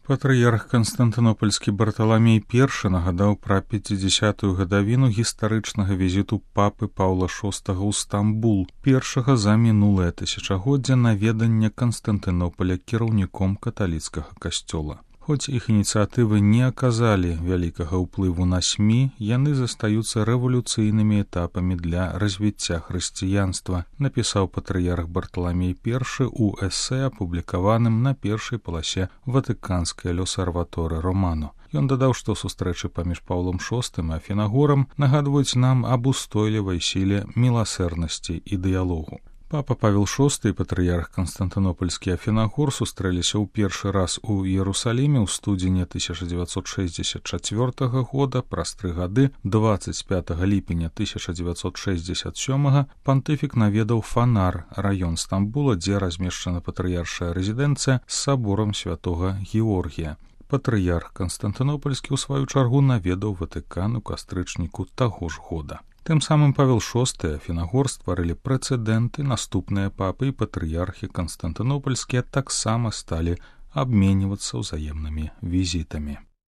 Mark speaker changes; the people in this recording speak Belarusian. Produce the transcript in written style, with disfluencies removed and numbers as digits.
Speaker 1: Патрыярх Канстантынопольскі Барталамей I нагадаў пра 50-ю гадавіну гістарычнага візіту папы Паўла VI ў Стамбул, першага за мінулае тысячагоддзе наведання Канстантынополя кіраўніком каталіцкага касцёла. Хоць іх ініцыятывы не аказалі вялікага ўплыву на СМІ, яны застаюцца рэвалюцыйнымі этапамі для развіцця хрысціянства, напісаў патрыярх Барталамей I у эсэ, апублікаваным на першай паласе ватыканскай L'Osservatore Romano. Ён дадаў, што сустрэчы паміж Паўлом VI і Афінагорам нагадваюць нам аб устойлівай сіле міласэрнасці і дыялогу. Папа Павел VI і патрыярх Канстантынопольскі Афінагор сустрэліся ў першы раз у Іерусаліме ў студзені 1964 года. Праз 3 гады, 25 ліпеня 1967 пантыфік наведаў Фанар, раён Стамбула, дзе размешчана патрыяршая рэзідэнцыя з саборам святога Георгія. Патрыярх Канстантынопольскі ў сваю чаргу наведаў Ватыкан у кастрычніку таго ж года. Тым самым Павел VI і Афінагор стварылі прэцэдэнты, наступныя папы і патрыярхі Канстантынопольскія таксама сталі абменьвацца ўзаемнымі візітамі.